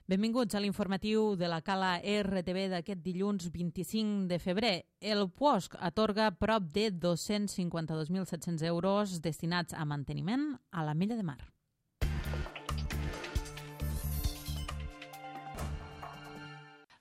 Benvinguts a l'informatiu de la Cala RTV d'aquest dilluns 25 de febrer. El POSC atorga prop de 252.700 euros destinats a manteniment a l'Ametlla de Mar.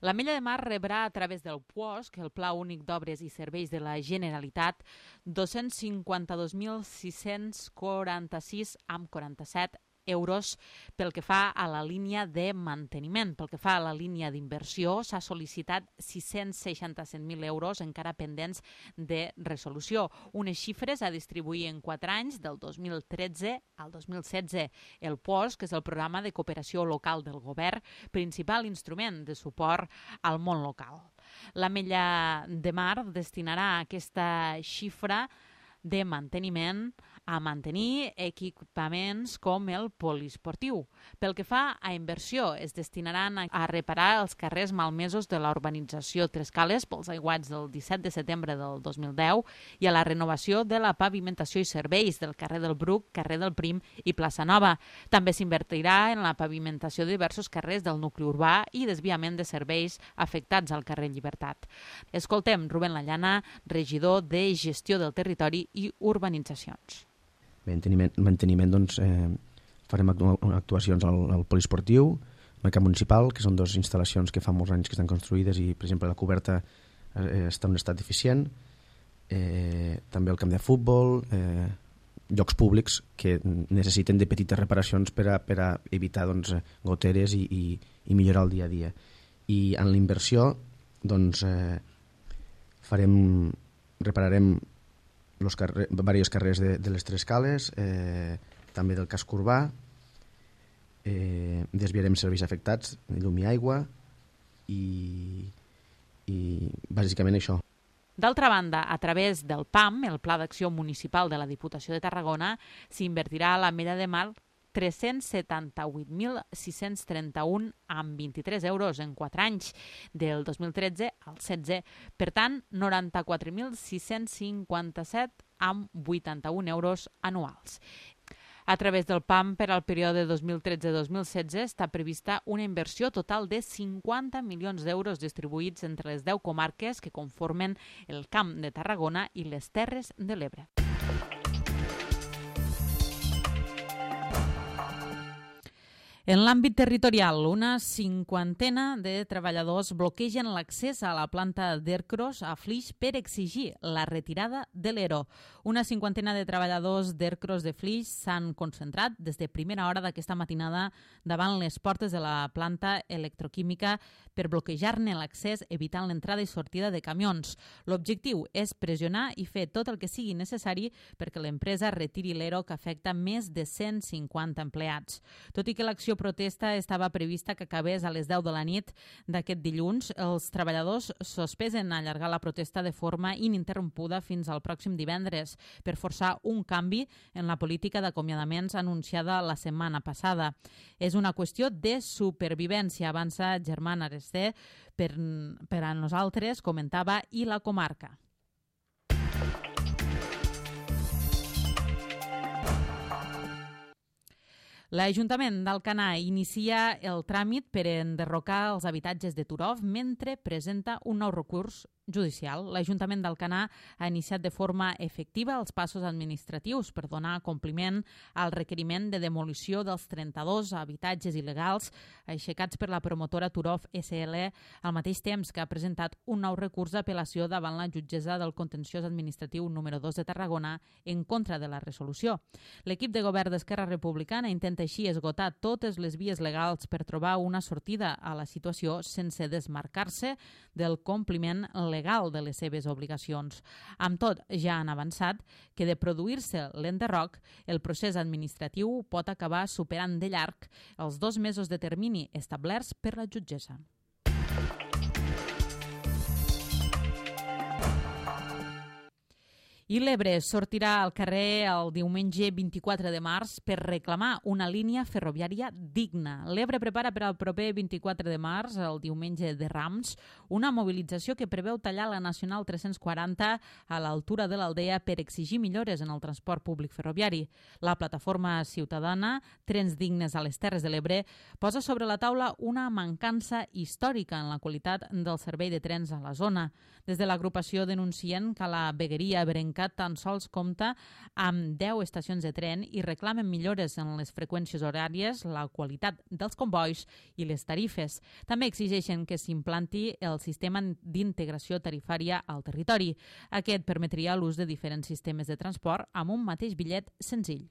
L'Ametlla de Mar rebrà a través del POSC, el Pla Únic d'Obres i Serveis de la Generalitat, 252.646,47 euros pel que fa a la línia de manteniment. Pel que fa a la línia d'inversió, s'ha sol·licitat 667.000 euros encara pendents de resolució. Unes xifres a distribuir en 4 anys, del 2013 al 2016. El POSC és el programa de cooperació local del govern, principal instrument de suport al món local. L'Ametlla de Mar destinarà aquesta xifra de manteniment a mantenir equipaments com el poliesportiu. Pel que fa a inversió, es destinaran a reparar els carrers malmesos de la urbanització Tres Cales pels aiguats del 17 de setembre del 2010 i a la renovació de la pavimentació i serveis del carrer del Bruc, carrer del Prim i plaça Nova. També s'invertirà en la pavimentació de diversos carrers del nucli urbà i desviament de serveis afectats al carrer Llibertat. Escoltem Rubén Lallana, regidor de Gestió del Territori i Urbanitzacions. Manteniment, doncs, farem actuacions al poliesportiu, al mercat municipal, que són 2 instal·lacions que fa molts anys que estan construïdes i, per exemple, la coberta està en un estat deficient. També el camp de futbol, llocs públics que necessiten de petites reparacions per a evitar goteres i millorar el dia a dia. I en la inversió doncs, repararem diversos carrers de les Tres Cales, també del casc urbà, desviarem serveis afectats, llum i aigua i bàsicament això. D'altra banda, a través del PAM, el Pla d'Acció Municipal de la Diputació de Tarragona, s'invertirà a l'Ametlla de Mar 378.631,23 euros en 4 anys, del 2013 al 16. Per tant, 94.657,81 euros anuals. A través del PAM, per al període 2013-2016, està prevista una inversió total de 50 milions d'euros distribuïts entre les 10 comarques que conformen el Camp de Tarragona i les Terres de l'Ebre. En l'àmbit territorial, una 50ena de treballadors bloquegen l'accés a la planta d'Ercros a Flix per exigir la retirada de l'ERO. Una 50ena de treballadors d'Ercros de Flix s'han concentrat des de primera hora d'aquesta matinada davant les portes de la planta electroquímica per bloquejar-ne l'accés, evitant l'entrada i sortida de camions. L'objectiu és pressionar i fer tot el que sigui necessari perquè l'empresa retiri l'ERO que afecta més de 150 empleats. Tot i que l'acció protesta estava prevista que acabés a les 10 de la nit d'aquest dilluns, els treballadors sospesen allargar la protesta de forma ininterrompuda fins al pròxim divendres per forçar un canvi en la política d'acomiadaments anunciada la setmana passada. És una qüestió de supervivència, avança Germán Aresté, per a nosaltres, comentava, i la comarca. L'Ajuntament d'Alcanar inicia el tràmit per enderrocar els habitatges de Turov mentre presenta un nou recurs judicial. L'Ajuntament d'Alcanar ha iniciat de forma efectiva els passos administratius per donar compliment al requeriment de demolició dels 32 habitatges il·legals aixecats per la promotora Turov SL, al mateix temps que ha presentat un nou recurs d'apel·lació davant la jutgessa del contenciós administratiu número 2 de Tarragona en contra de la resolució. L'equip de govern d'Esquerra Republicana intenta així esgotar totes les vies legals per trobar una sortida a la situació sense desmarcar-se del compliment legal de les seves obligacions. Amb tot, ja han avançat que de produir-se l'enderroc, el procés administratiu pot acabar superant de llarg els 2 mesos de termini establerts per la jutgessa. I l'Ebre sortirà al carrer el diumenge 24 de març per reclamar una línia ferroviària digna. L'Ebre prepara per al proper 24 de març, el diumenge de Rams, una mobilització que preveu tallar la Nacional 340 a l'altura de l'Aldea per exigir millores en el transport públic ferroviari. La plataforma ciutadana Trens Dignes a les Terres de l'Ebre posa sobre la taula una mancança històrica en la qualitat del servei de trens a la zona. Des de l'agrupació denuncien que la vegueria ebrenca tan sols compta amb 10 estacions de tren i reclamen millores en les freqüències horàries, la qualitat dels convois i les tarifes. També exigeixen que s'implanti el sistema d'integració tarifària al territori. Aquest permetria l'ús de diferents sistemes de transport amb un mateix bitllet senzill.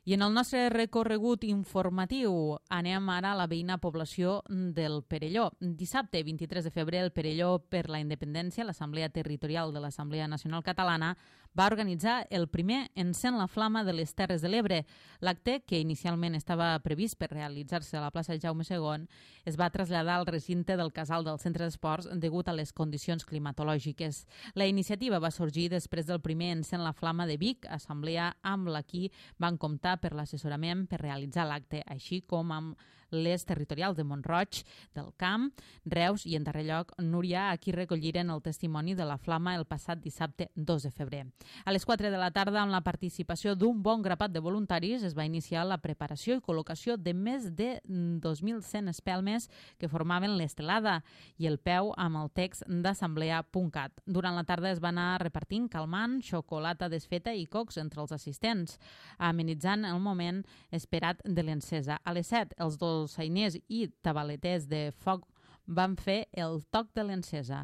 I en el nostre recorregut informatiu anem ara a la veïna població del Perelló. Dissabte, 23 de febrer, el Perelló per la Independència, l'Assemblea Territorial de l'Assemblea Nacional Catalana, va organitzar el primer Encén la Flama de les Terres de l'Ebre. L'acte, que inicialment estava previst per realitzar-se a la plaça Jaume II, es va traslladar al recinte del Casal del Centre d'Esports degut a les condicions climatològiques. La iniciativa va sorgir després del primer Encén la Flama de Vic, assemblea amb la qui van comptar per l'assessorament per realitzar l'acte, així com amb les territorials de Mont-roig, del Camp, Reus i, en darrer lloc, Núria, a qui recolliren el testimoni de la flama el passat dissabte 2 de febrer. A les 4 de la tarda, amb la participació d'un bon grapat de voluntaris, es va iniciar la preparació i col·locació de més de 2.100 espelmes que formaven l'estelada i el peu amb el text d'assemblea.cat. Durant la tarda es va anar repartint calmant, xocolata desfeta i cocs entre els assistents, amenitzant el moment esperat de l'encesa. A les 7, els dolçainers i tabaleters de foc van fer el toc de l'encesa.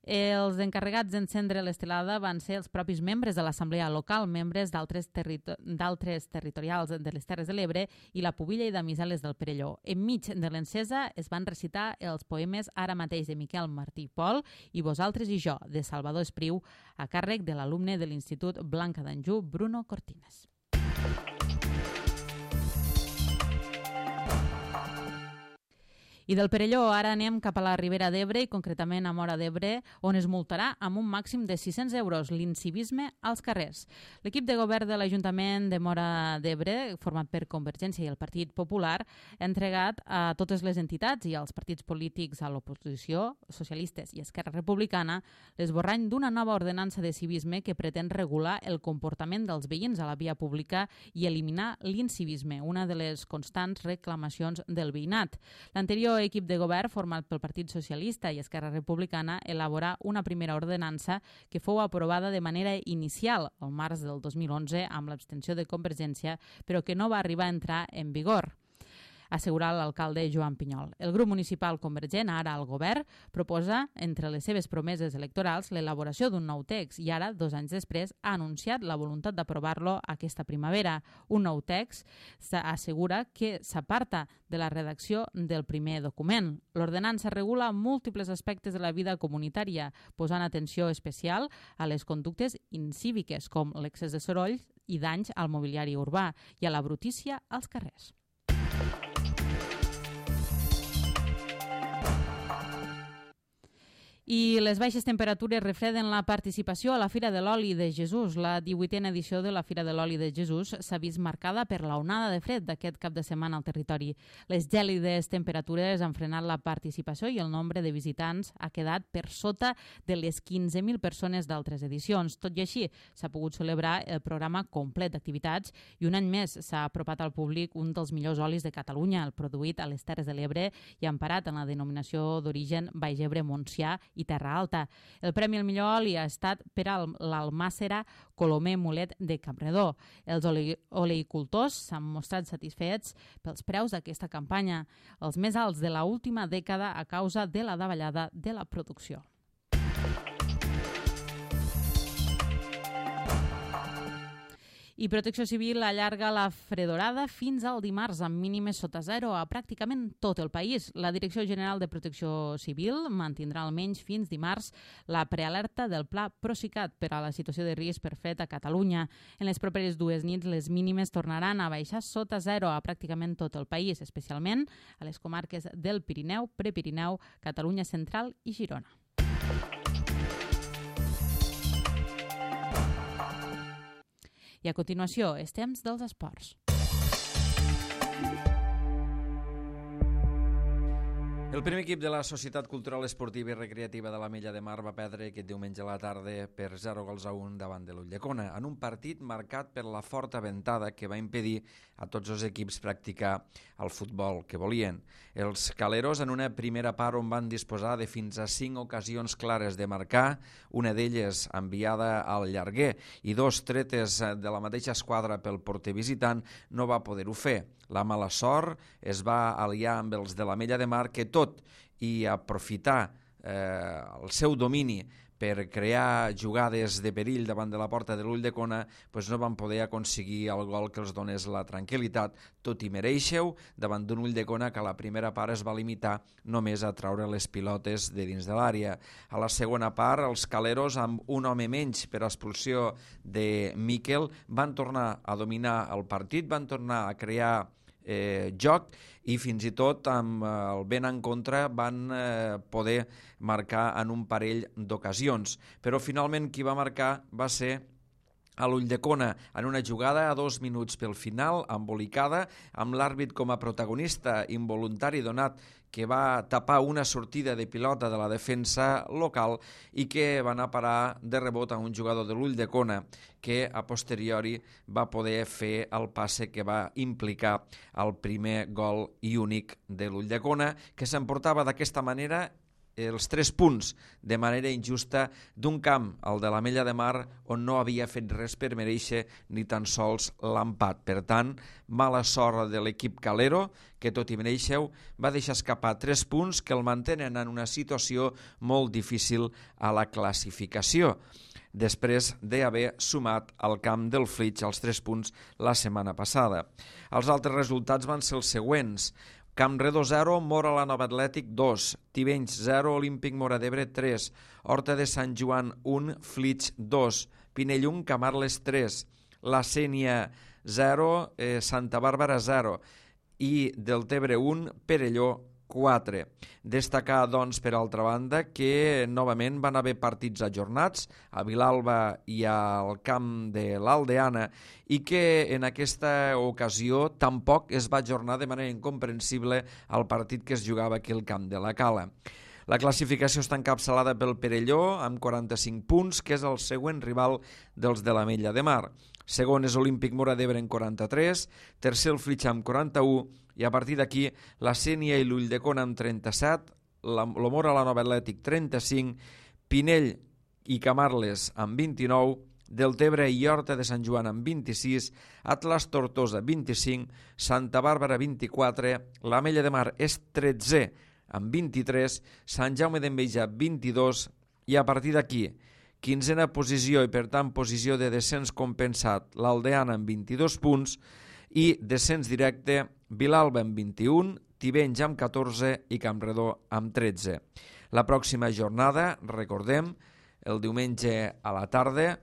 Els encarregats d'encendre l'estelada van ser els propis membres de l'assemblea local, membres d'altres territorials de les Terres de l'Ebre i la Pubilla i Damisel·les del Perelló. Enmig de l'encesa es van recitar els poemes Ara mateix de Miquel Martí Pol i Vosaltres i jo, de Salvador Espriu, a càrrec de l'alumne de l'Institut Blanca d'Anjou, Bruno Cortines. I del Perelló ara anem cap a la Ribera d'Ebre i concretament a Móra d'Ebre, on es multarà amb un màxim de 600 euros l'incivisme als carrers. L'equip de govern de l'Ajuntament de Móra d'Ebre, format per Convergència i el Partit Popular, ha entregat a totes les entitats i als partits polítics a l'oposició, socialistes i Esquerra Republicana, l'esborrany d'una nova ordenança de civisme que pretén regular el comportament dels veïns a la via pública i eliminar l'incivisme, una de les constants reclamacions del veïnat. L'anterior equip de govern, format pel Partit Socialista i Esquerra Republicana, elaborà una primera ordenança que fou aprovada de manera inicial al març del 2011 amb l'abstenció de Convergència, però que no va arribar a entrar en vigor, assegurar l'alcalde Joan Pinyol. El grup municipal convergent, ara al govern, proposa, entre les seves promeses electorals, l'elaboració d'un nou text i ara, 2 anys després, ha anunciat la voluntat d'aprovar-lo aquesta primavera. Un nou text assegura que s'aparta de la redacció del primer document. L'ordenança regula múltiples aspectes de la vida comunitària, posant atenció especial a les conductes incíviques, com l'excés de soroll i danys al mobiliari urbà i a la brutícia als carrers. I les baixes temperatures refreden la participació a la Fira de l'Oli de Jesús. La 18a edició de la Fira de l'Oli de Jesús s'ha vist marcada per l'onada de fred d'aquest cap de setmana al territori. Les gèlides temperatures han frenat la participació i el nombre de visitants ha quedat per sota de les 15.000 persones d'altres edicions. Tot i així, s'ha pogut celebrar el programa complet d'activitats i un any més s'ha apropat al públic un dels millors olis de Catalunya, el produït a les Terres de l'Ebre i emparat en la denominació d'origen Baix Ebre, Montsià i Terra Alta. El premi al millor oli ha estat per a l'almàssera Colomer Mulet de Campredó. Els oleicultors s'han mostrat satisfets pels preus d'aquesta campanya, els més alts de l'última dècada a causa de la davallada de la producció. I Protecció Civil allarga la fredorada fins al dimarts amb mínimes sota zero a pràcticament tot el país. La Direcció General de Protecció Civil mantindrà almenys fins dimarts la prealerta del Pla Procicat per a la situació de risc per fred a Catalunya. En les properes 2 nits les mínimes tornaran a baixar sota zero a pràcticament tot el país, especialment a les comarques del Pirineu, Prepirineu, Catalunya Central i Girona. I a continuació, és temps dels esports. El primer equip de la Societat Cultural Esportiva i Recreativa de l'Ametlla de Mar va perdre aquest diumenge a la tarda per 0-1 davant de l'Ulldecona, en un partit marcat per la forta ventada que va impedir a tots els equips practicar el futbol que volien. Els caleros, en una primera part on van disposar de fins a 5 ocasions clares de marcar, una d'elles enviada al llarguer i 2 tretes de la mateixa esquadra pel porter visitant, no va poder-ho fer. La mala sort es va aliar amb els de l'Ametlla de Mar que tot i aprofitar el seu domini per crear jugades de perill davant de la porta de l'Ulldecona, no van poder aconseguir el gol que els donés la tranquil·litat, tot i mereixeu, davant d'un Ulldecona que a la primera part es va limitar només a traure les pilotes de dins de l'àrea. A la segona part, els caleros, amb un home menys per expulsió de Miquel, van tornar a dominar el partit, van tornar a crear joc i fins i tot amb el vent en contra van poder marcar en un parell d'ocasions. Però finalment qui va marcar va ser a l'Ulldecona en una jugada a 2 minuts pel final, embolicada, amb l'àrbit com a protagonista involuntari donat que va tapar una sortida de pilota de la defensa local i que va anar a parar de rebot a un jugador de l'Ulldecona que a posteriori va poder fer el passe que va implicar el primer gol i únic de l'Ulldecona, que s'emportava d'aquesta manera els 3 punts de manera injusta d'un camp, el de l'Ametlla de Mar, on no havia fet res per mereixer ni tan sols l'empat. Per tant, mala sort de l'equip calero, que tot i mereixeu, va deixar escapar 3 punts que el mantenen en una situació molt difícil a la classificació, després d'haver sumat al camp del Flix els 3 punts la setmana passada. Els altres resultats van ser els següents: Campredó 0, Móra la Nova Atlètic 2, Tivenys 0, Olímpic Móra d'Ebre 3, Horta de Sant Joan 1, Flix 2, Pinell 1, Camarles 3, La Sénia 0, Santa Bàrbara 0 i Deltebre 1, Perelló 4. Destacar, doncs, per altra banda, que novament van haver partits ajornats a Vilalba i al camp de l'Aldeana i que en aquesta ocasió tampoc es va ajornar de manera incomprensible el partit que es jugava aquí al camp de la Cala. La classificació està encapçalada pel Perelló amb 45 punts, que és el següent rival dels de l'Ametlla de Mar. Segon és Olímpic Móra d'Ebre amb 43, tercer el Flix amb 41 i a partir d'aquí la Sénia i l'Ulldecona amb 37, lo Móra la Nova Atlètic 35, Pinell i Camarles amb 29, Deltebre i Horta de Sant Joan amb 26, Atlas Tortosa 25, Santa Bàrbara 24, l'Ametlla de Mar és 13 amb 23, Sant Jaume d'Enveja 22 i a partir d'aquí 15a posició i per tant posició de descens compensat l'Aldeana amb 22 punts i descens directe Vilalba amb 21, Tivenys amb 14 i Campredó amb 13. La pròxima jornada, recordem, el diumenge a la tarda,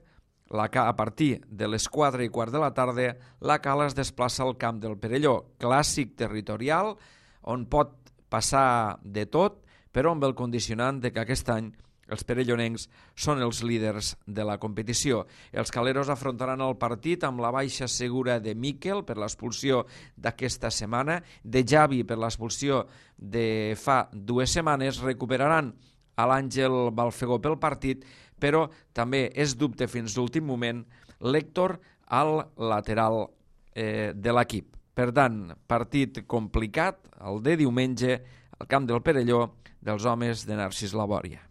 a partir de les 4:15 de la tarda, la Cala es desplaça al camp del Perelló, clàssic territorial on pot passar de tot, però amb el condicionant de que aquest any els perellonencs són els líders de la competició. Els caleros afrontaran el partit amb la baixa segura de Miquel per l'expulsió d'aquesta setmana, de Javi per l'expulsió de fa 2 setmanes, recuperaran a l'Àngel Balfegó pel partit, però també és dubte fins l'últim moment l'Héctor al lateral de l'equip. Per tant, partit complicat, el de diumenge, al camp del Perelló, dels homes de Narcís Labòria.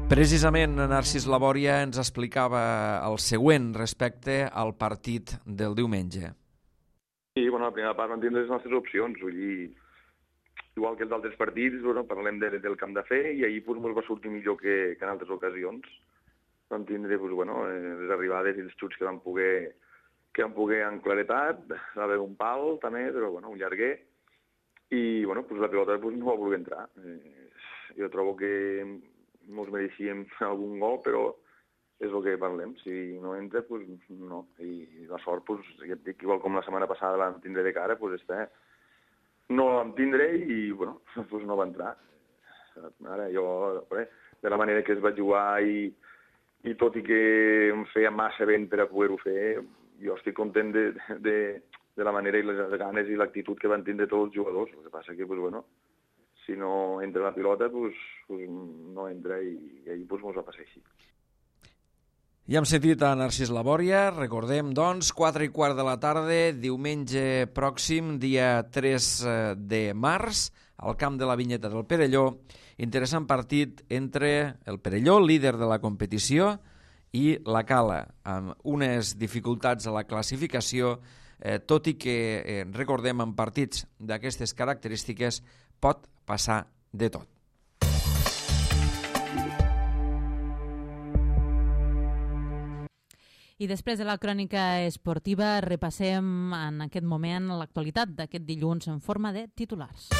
Precisament Narcís Labòria ens explicava el següent respecte al partit del diumenge. Sí, bueno, la primera part vam tindre les nostres opcions, vull dir, igual que els altres partits, bueno, parlem del camp de fer i ahir ens va sortir millor que en altres ocasions. vam tindre les arribades i els xuts que vam poder en claretat, va haver un pal també, però un llarguer, i la pilota no va voler entrar. Jo trobo que ens mereixíem algun gol, però és el que parlem. Si no entra, no. I la sort, ja et dic, igual com la setmana passada vam tindre de cara, no la vam tindre i no va entrar. Ara jo, de la manera que es va jugar i tot i que em feia massa vent per a poder-ho fer, jo estic content de la manera i les ganes i l'actitud que van tindre tots els jugadors. El que passa que, si no entra la pilota, no entra i ahir ens va passar així. Ja hem sentit a Narcís Labòria, recordem, doncs, 4:15 de la tarda, diumenge pròxim, dia 3 de març, al camp de la Vinyeta del Perelló. Interessant partit entre el Perelló, líder de la competició, i la Cala, amb unes dificultats a la classificació, tot i que, recordem, en partits d'aquestes característiques pot passar de tot. I després de la crònica esportiva repassem en aquest moment l'actualitat d'aquest dilluns en forma de titulars.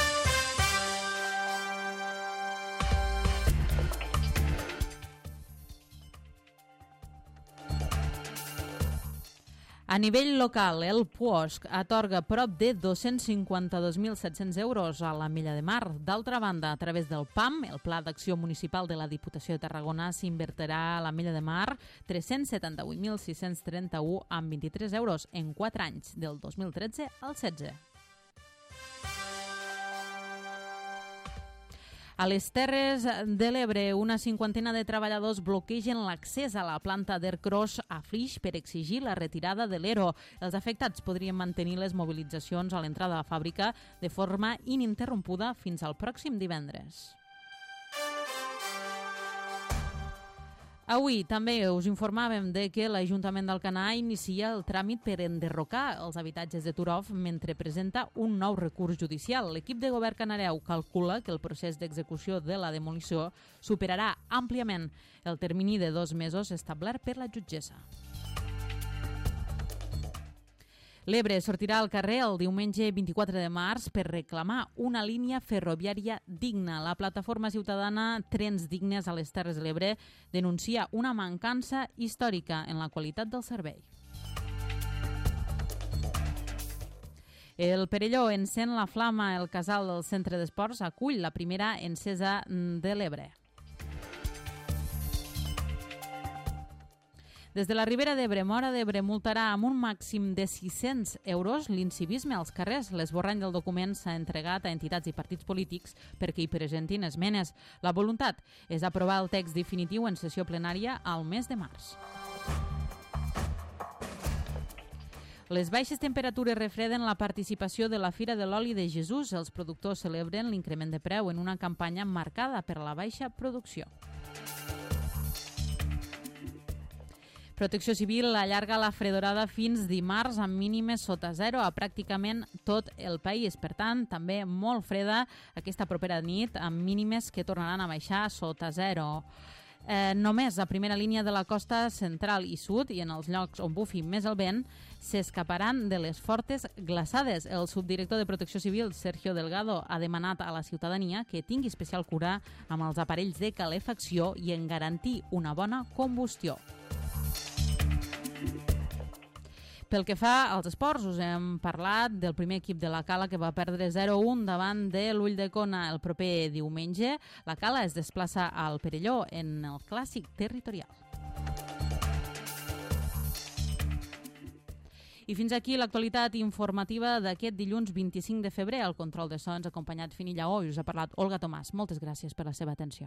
A nivell local, el PUOSC atorga prop de 252.700 euros a la Milla de Mar. D'altra banda, a través del PAM, el Pla d'Acció Municipal de la Diputació de Tarragona, s'invertirà a la Milla de Mar 378.631 amb 23 euros en 4 anys, del 2013 al 16. A les Terres de l'Ebre, una cinquantena de treballadors bloquegen l'accés a la planta d'Ercros a Flix per exigir la retirada de l'ERO. Els afectats podrien mantenir les mobilitzacions a l'entrada de la fàbrica de forma ininterrompuda fins al pròxim divendres. Avui també us informàvem de que l'Ajuntament d'Alcanar inicia el tràmit per enderrocar els habitatges de Turov mentre presenta un nou recurs judicial. L'equip de govern canareu calcula que el procés d'execució de la demolició superarà àmpliament el termini de 2 mesos establert per la jutgessa. L'Ebre sortirà al carrer el diumenge 24 de març per reclamar una línia ferroviària digna. La plataforma ciutadana Trens Dignes a les Terres de l'Ebre denuncia una mancança històrica en la qualitat del servei. El Perelló encén la flama. El casal del Centre d'Esports acull la primera encesa de l'Ebre. Des de la Ribera d'Ebre, Móra d'Ebre multarà amb un màxim de 600 euros l'incivisme als carrers. L'esborrany del document s'ha entregat a entitats i partits polítics perquè hi presentin esmenes. La voluntat és aprovar el text definitiu en sessió plenària al mes de març. Les baixes temperatures refreden la participació de la Fira de l'Oli de Jesús. Els productors celebren l'increment de preu en una campanya marcada per la baixa producció. Protecció Civil allarga la fredorada fins dimarts amb mínimes sota 0 a pràcticament tot el país. Per tant, també molt freda aquesta propera nit amb mínimes que tornaran a baixar sota 0. Només a primera línia de la costa central i sud i en els llocs on bufi més el vent s'escaparan de les fortes glaçades. El subdirector de Protecció Civil, Sergio Delgado, ha demanat a la ciutadania que tingui especial cura amb els aparells de calefacció i en garantir una bona combustió. Pel que fa als esports, us hem parlat del primer equip de la Cala que va perdre 0-1 davant de l'Ulldecona el proper diumenge. La Cala es desplaça al Perelló en el clàssic territorial. I fins aquí l'actualitat informativa d'aquest dilluns 25 de febrer. Al control de so ens ha acompanyat Fini Lleó i us ha parlat Olga Tomàs. Moltes gràcies per la seva atenció.